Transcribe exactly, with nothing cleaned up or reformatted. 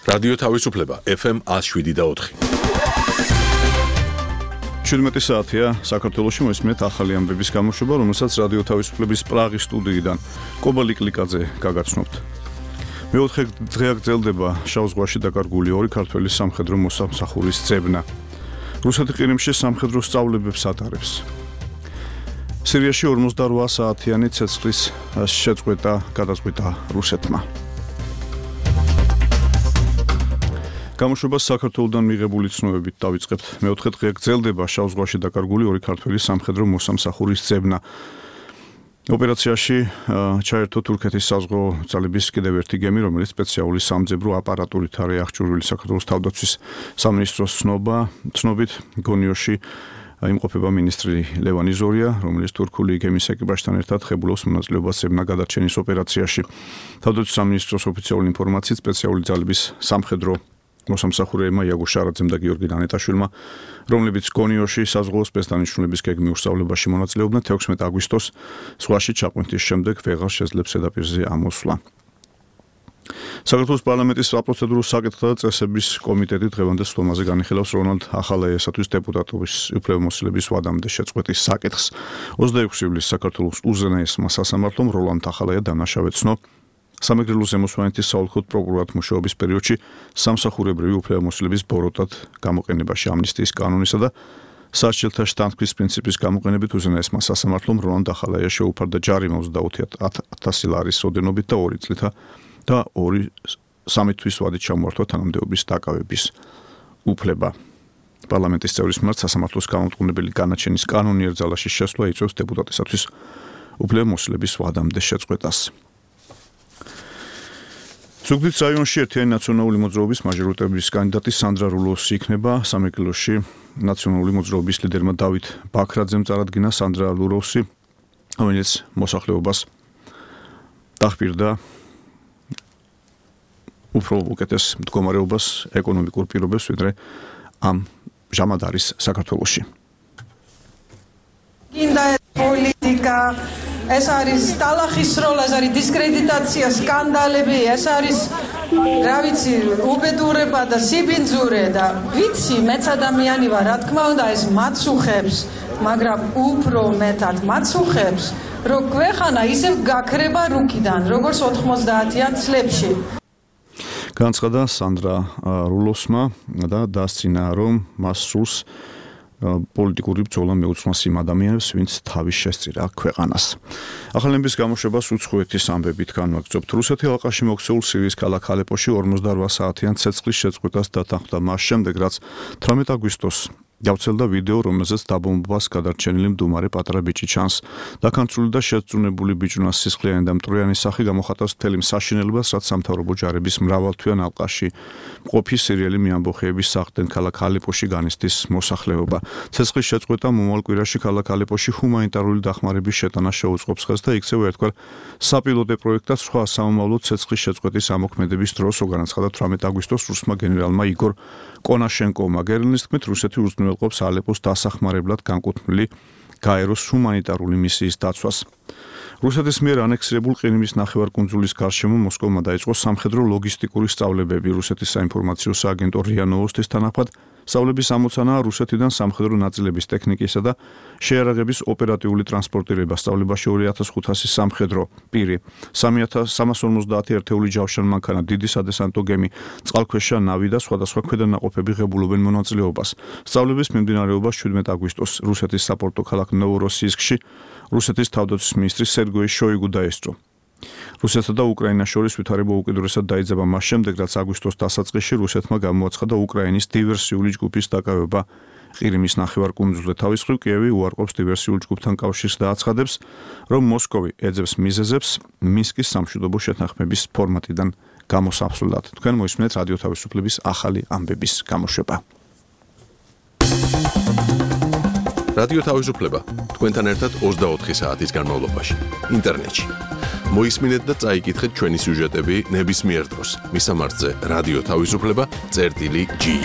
რადიო თავისუფლება ეფ ემ one oh seven და four. შვიდმეტი საათია საქართველოში მოისმენთ ახალი ამბების გამოშვება, რომელსაც რადიო თავისუფლების პრაღის სტუდიიდან კობალი კლიკაძე გაგაცნობთ. მეოთხე დღე გრძელდება შავ ზღვაში დაკარგული ორი ქართველი სამხედრო მოსამსახურის ძებნა. რუსეთი ყირიმში სამხედრო სწავლებებს ატარებს. სირიაში ორმოცდაოთხ საათიანი ცეცხლის შეწყვეტა გადაწყვიტა რუსეთმა. გამოშვებას საქართველოდან მიღებული ცნობებით დავიწყებთ. მეოთხე დღე გრძელდება შავ ზღვაში დაკარგული ორი ქართველი სამხედრო მოსამსახურის ძებნა. ოპერაციაში ჩაერთო თურქეთის საზღვაო ძალების კიდევ ერთი გემი, რომელიც სპეციალური სამძებრო აპარატურით არის აღჭურვილი. საქართველოს თავდაცვის სამინისტროს ცნობა, ცნობით გონიოში იმყოფება მინისტრი ლევან იზორია, რომელიც თურქული გემის ეკიპაჟთან ერთად ხებულობს მონაწილეობას ძებნა გადარჩენის ოპერაციაში. თავდაცვის სამინისტროს ოფიციალური ინფორმაციით სპეციალური ძალების სამხედრო მოსამსახურეებმა იაგო შარაძემ და გიორგი დანეტაშვილმა, რომლებიც გონიოში საზღვაო სპეცდანიშნულების გეგმის უსწავლებაში მონაწილეობდნენ, თექვსმეტი აგვისტოს ზღვაში ჩაყვანტის შემდეგ ვეღარ შეძლებს ზედაპირზე ამოსვლა. საქართველოს პარლამენტის საპროცედურო საკითხთა და წესების კომიტეტი დღევანდელ სხდომაზე განიხილავს რონალდ ახალაიასათვის დეპუტატობის უფლებამოსილების ვადამდე შეწყვეტის საკითხს. ოცდაექვსი ივლისს საქართველოს უზენაესმა სასამართლომ როლანდ ახალაია დანაშავე ცნო სამეგრელო ზემოსვანეთის საოლქო პროკურორად მუშაობის პერიოდში სამსახურებრივი უფლებამოსილების ბოროტად გამოყენებაში ამნისტიის კანონისა და სასჯელთა შთანთქმის პრინციპის გამოყენებით უზენაესმა სასამართლომ როლანდ ახალაიას შეუფარდა ჯარიმა ოცდაოთხ ათასი ლარის ოდენობით და ორი წლითა და ორი სამი თვის ვადით ჩამოართვა თანამდებობის დაკავების უფლება. პარლამენტის წევრის მიმართ სასამართლოს გამომტყუნებელი განაჩენის კანონიერ ძალაში შესვლა იწვევს დეპუტატისათვის უფლებამოსილების ვადამდე შეწყვეტას. ზუგდიდის რაიონში ერთიანი ნაციონალური მოძრაობის მაჟორიტეტების კანდიდატი სანდრა რულოსი იქნება. სამეგრელოში ნაციონალური მოძრაობის ლიდერმა დავით ბაქრაძემ წარადგინა სანდრა რულოსი, რომელიც მოსახლეობას დახპირდა უფრო უკეთეს მდგომარეობას, ეკონომიკურ პირობებს, ვიდრე ამ ჟამად არის საქართველოში. გინდა პოლიტიკა, ეს არის ტალახის როლა, ეს არის დისკრედიტაცია, სკანდალები, ეს არის რა ვიცი, უბედურება და სიბინძურე და ვიცი, მეც ადამიანი ვარ, რა თქმა უნდა, ეს მაცუხებს, მაგრამ უფრო მეტად მაცუხებს, რომ ქვეყანა ისევ გაქრება რუკიდან, როგორც ოთხმოცდაათიან წლებში. განცხადა სანდრა რულოსმა და დასცინა, რომ მას სურს პოლიტიკური ბრძოლა მეუცმას იმ ადამიანებს, ვინც თავის შესწირა ქვეყანას. ახალების გამოშვებას უცხოეთის ამბებით განვაგრძობთ. რუსეთი ალყაში მოქცეულ სირიის ქალაქ ალეპოში ორმოცდაოთხ საათიან ცეცხლის შეწყვეტას დათანხმდა მას შემდეგ, რაც თვრამეტი აგვისტოს გავცელდა ვიდეო, რომელზეც დაბომბვას გადარჩენილი მდუმარე პატარა ბიჭი ჩანს. დაქანწული და შეწუნებული ბიჭუნას სისხლიანი და მტვრიანი სახე გამოხატავს მთელი მსაშინელებას, რაც სამთავრობო ჯარების მრავალთვიან ალყაში მყოფი სირიელი მეამბოხეების სახლთან ქალაქ ალეპოში განიცდის მოსახლეობა. ცეცხლის შეწყვეტა მომავალ კვირაში ქალაქ ალეპოში ჰუმანიტარული დახმარების შეტანა შეუწყობს ხელს და იქცევა ერთგვარ საპილოტე პროექტად სხვა სამომავლო ცეცხლის შეწყვეტის ამოქმედების დროს, განაცხადა თვრამეტი აგვისტოს რუსმა გენერალმა იგორ კონაშენკოვმა. გერლინის თქმით, რუსეთი უზრუნველყოფს ალეპოს დასახმარებლად განკუთვნილი გაეროს ჰუმანიტარული მისიის დაცვას. რუსეთის მიერ ანექსირებულ ყირიმის ნახევარკუნძულის გარშემო მოსკოვმა დაიწყო სამხედრო ლოგისტიკური სწავლებები. რუსეთის საინფორმაციო სააგენტო რია ნოვოსტის თანახმად სწავლების ამოცანაა რუსეთიდან სამხედრო ნაწილების ტექნიკისა და შეიარაღების ოპერატიული ტრანსპორტირება. სწავლებაში ორი ათას ხუთასი სამხედრო პირი, სამი ათას სამას ორმოცდაათი ერთეული ჯავშანმანქანა, დიდი სადესანტო გემი, წყალქვეშა ნავი და სხვადასხვა ქვედანაყოფები ღებულობენ მონაწილეობას. სწავლების მიმდინარეობას შვიდმეტი აგვისტოს რუსეთის საპორტო ქალაქ ნოვოროსიისკში რუსეთის თავდაცვის მინისტრი სერგეი შოიგუ დაესწრო. რუსეთსა და უკრაინას შორის ვითარება უკიდურესად დაიძაბა მას შემდეგ, რაც აგვისტოს დასაწყისში რუსეთმა გამოაცხადა უკრაინის დივერსიული ჯგუფის დაკავება ყირიმის ნახევარკუნძულზე. თავის მხრივ კიევი უარყოფს დივერსიულ ჯგუფთან კავშირს და აცხადებს, რომ მოსკოვი ეძებს მიზეზებს მინსკის სამშვიდობო შეთანხმების ფორმატიდან გამოსასვლელად. თქვენ მოისმენთ რადიო თავისუფლების ახალი ამბების გამოშვება. რადიო თავისუფლება თქვენთან ერთად ოცდაოთხი საათის განმავლობაში ინტერნეტში. მოისმინეთ და წაიკითხეთ ჩვენი სიუჟეტები ნებისმიერ დროს. მისამართზე რადიო თავისუფლება წერტილი ჯი.